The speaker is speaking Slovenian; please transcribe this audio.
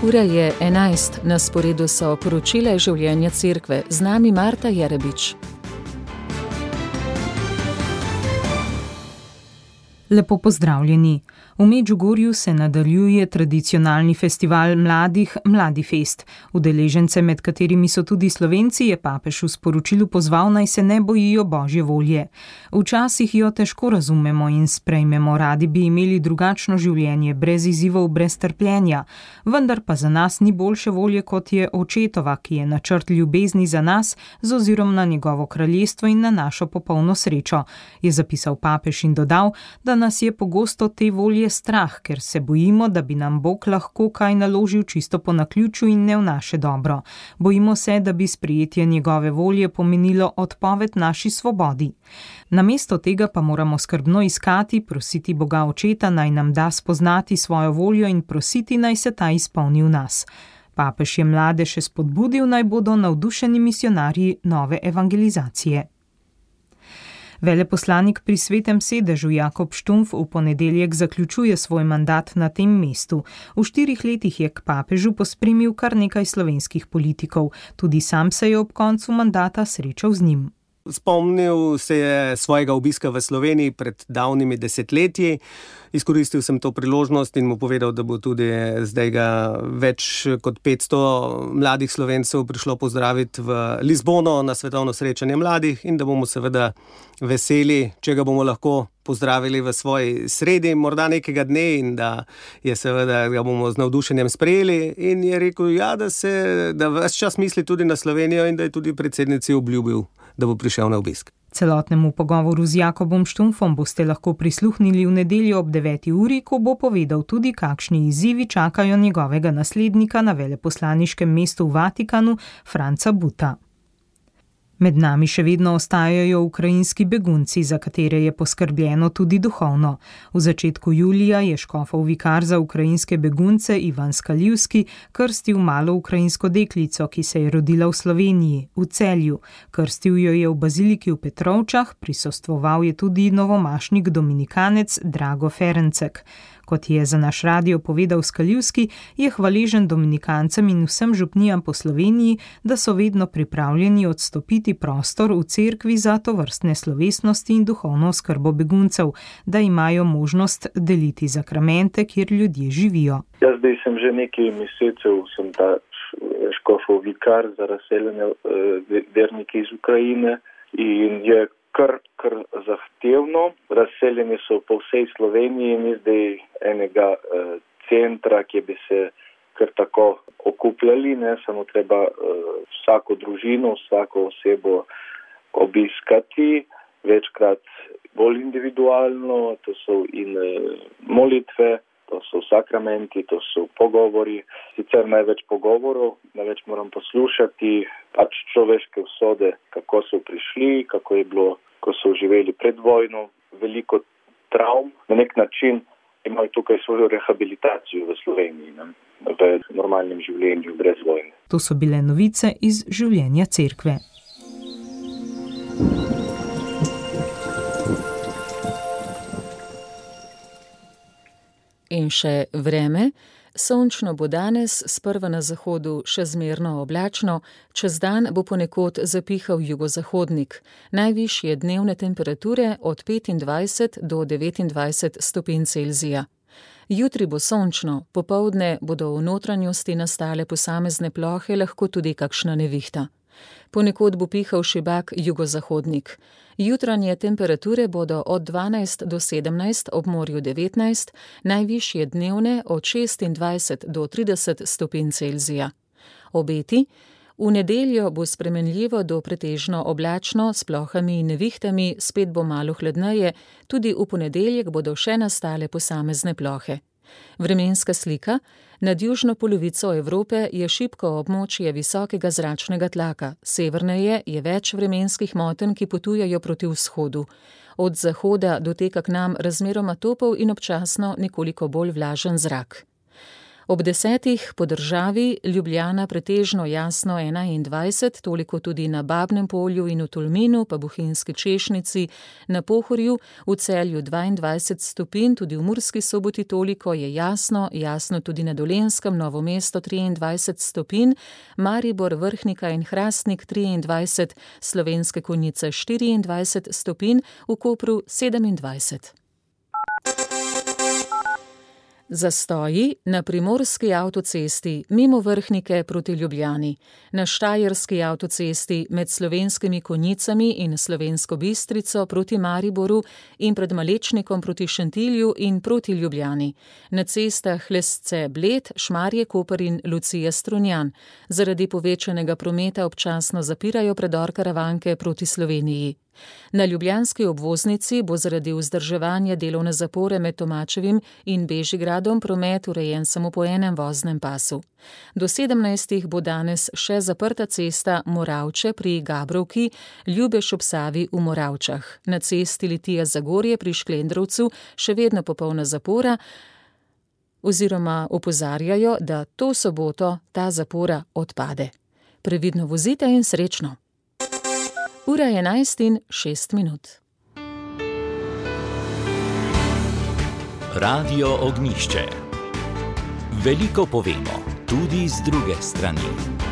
Ura je 11, na sporedu so poročila življenja cerkve. Z nami Marta Jerebič. Lepo pozdravljeni. V Medžugorju se nadaljuje tradicionalni festival mladih Mladifest. Udeležence, med katerimi so tudi Slovenci, je papež v sporočilu pozval, naj se ne bojijo Božje volje. Včasih jo težko razumemo in sprejmemo, radi bi imeli drugačno življenje, brez izzivov, brez trpljenja. Vendar pa za nas ni boljše volje, kot je očetova, ki je načrt ljubezni za nas z ozirom na njegovo kraljestvo in na našo popolno srečo, je zapisal papež in dodal, da nas je pogosto te volje strah, ker se bojimo, da bi nam Bog lahko kaj naložil čisto po naključju in ne v naše dobro. Bojimo se, da bi sprejetje njegove volje pomenilo odpoved naši svobodi. Namesto tega pa moramo skrbno iskati, prositi Boga Očeta, naj nam da spoznati svojo voljo in prositi, naj se ta izpolni v nas. Papež je mlade še spodbudil, naj bodo navdušeni misionarji nove evangelizacije. Veleposlanik pri Svetem sedežu Jakob Štumpf v ponedeljek zaključuje svoj mandat na tem mestu. V 4 letih je k papežu pospremil kar nekaj slovenskih politikov. Tudi sam se je ob koncu mandata srečal z njim. Spomnil se je svojega obiska v Sloveniji pred davnimi desetletji. Izkoristil sem to priložnost in mu povedal, da bo tudi zdaj ga več kot 500 mladih Slovencev prišlo pozdraviti v Lizbono na svetovno srečanje mladih in da bomo seveda veseli, če ga bomo lahko pozdravili v svoji sredi, morda nekega dne, in da je seveda ga bomo z navdušenjem sprejeli. In je rekel, da ves čas misli tudi na Slovenijo in da je tudi predsednici obljubil, da bo prišel na obisk. Celotnemu pogovoru z Jakobom Štumpfom boste lahko prisluhnili v nedeljo ob 9. uri, ko bo povedal tudi, kakšni izzivi čakajo njegovega naslednika na veleposlaniškem mestu v Vatikanu, Franca Buta. Med nami še vedno ostajajo ukrajinski begunci, za katere je poskrbljeno tudi duhovno. V začetku julija je škofov vikar za ukrajinske begunce Ivan Skaljivski krstil malo ukrajinsko deklico, ki se je rodila v Sloveniji, v Celju. Krstil jo je v baziliki v Petrovčah, prisostvoval je tudi novomašnik dominikanec Drago Ferencek. Kot je za naš radio povedal Skaljivski, je hvaležen dominikancem in vsem župnijam po Sloveniji, da so vedno pripravljeni odstopiti prostor v cerkvi za tovrstne slovesnosti in duhovno oskrbo beguncev, da imajo možnost deliti zakramente, kjer ljudje živijo. Jaz zdaj sem že nekaj mesecev, sem ta škofov vikar za razseljene vernike iz Ukrajine in je kar zahtevno. Razseljeni so po vsej Sloveniji, ni zdaj enega centra, kjer bi se kar tako okupljali, ne, samo treba vsako družino, vsako osebo obiskati, večkrat bolj individualno, to so in molitve, to so sakramenti, to so pogovori, sicer največ pogovorov, največ moram poslušati, pač človeške usode, kako so prišli, kako je bilo, ko so živeli pred vojno, veliko travm. Na nek način imajo tukaj svojo rehabilitacijo v Sloveniji, ne, v normalnem življenju, brez vojne. To so bile novice iz življenja cerkve. In še vreme. Sončno bo danes, sprva na zahodu še zmerno oblačno, čez dan bo ponekod zapihal jugozahodnik. Najvišje dnevne temperature od 25 do 29 stopinj Celzija. Jutri bo sončno, popoldne bodo v notranjosti nastale posamezne plohe, lahko tudi kakšna nevihta. Ponekod bo pihal šibak jugozahodnik. Jutranje temperature bodo od 12 do 17, ob morju 19, najvišje dnevne od 26 do 30 stopinj Celzija. Obeti: v nedeljo bo spremenljivo do pretežno oblačno s plohami in nevihtami, spet bo malo hladneje, tudi v ponedeljek bodo še nastale posamezne plohe. Vremenska slika: nad južno polovico Evrope je šibko območje visokega zračnega tlaka, severneje je več vremenskih motenj, ki potujejo proti vzhodu. Od zahoda doteka k nam razmeroma topel in občasno nekoliko bolj vlažen zrak. Ob 10 po državi, Ljubljana pretežno jasno 21, toliko tudi na Babnem Polju in v Tolminu, pa Bohinjski Češnici, na Pohorju, v Celju 22 stopinj, tudi v Murski Soboti toliko je jasno, jasno tudi na Dolenjskem, Novo mesto 23 stopinj, Maribor, Vrhnika in Hrastnik 23, Slovenske Konjice 24 stopinj, v Kopru 27. Zastoji na primorski avtocesti mimo Vrhnike proti Ljubljani, na štajerski avtocesti med Slovenskimi Konjicami in Slovensko Bistrico proti Mariboru in pred Malečnikom proti Šentilju in proti Ljubljani, na cestah Lesce-Bled, Šmarje-Koper in Lucija-Strunjan. Zaradi povečanega prometa občasno zapirajo predor Karavanke proti Sloveniji. Na ljubljanski obvoznici bo zaradi vzdrževanja delovne zapore med Tomačevim in Bežigradom promet urejen samo po enem voznem pasu. Do 17. bo danes še zaprta cesta Moravče pri Gabrovki, Ljubeš ob Savi v Moravčah. Na cesti Litija-Zagorje pri Šklendrovcu še vedno popolna zapora, oziroma opozarjajo, da to soboto ta zapora odpade. Previdno vozite in srečno! Ura je 11:06. Radio Ognjišče. Veliko povemo, tudi z druge strani.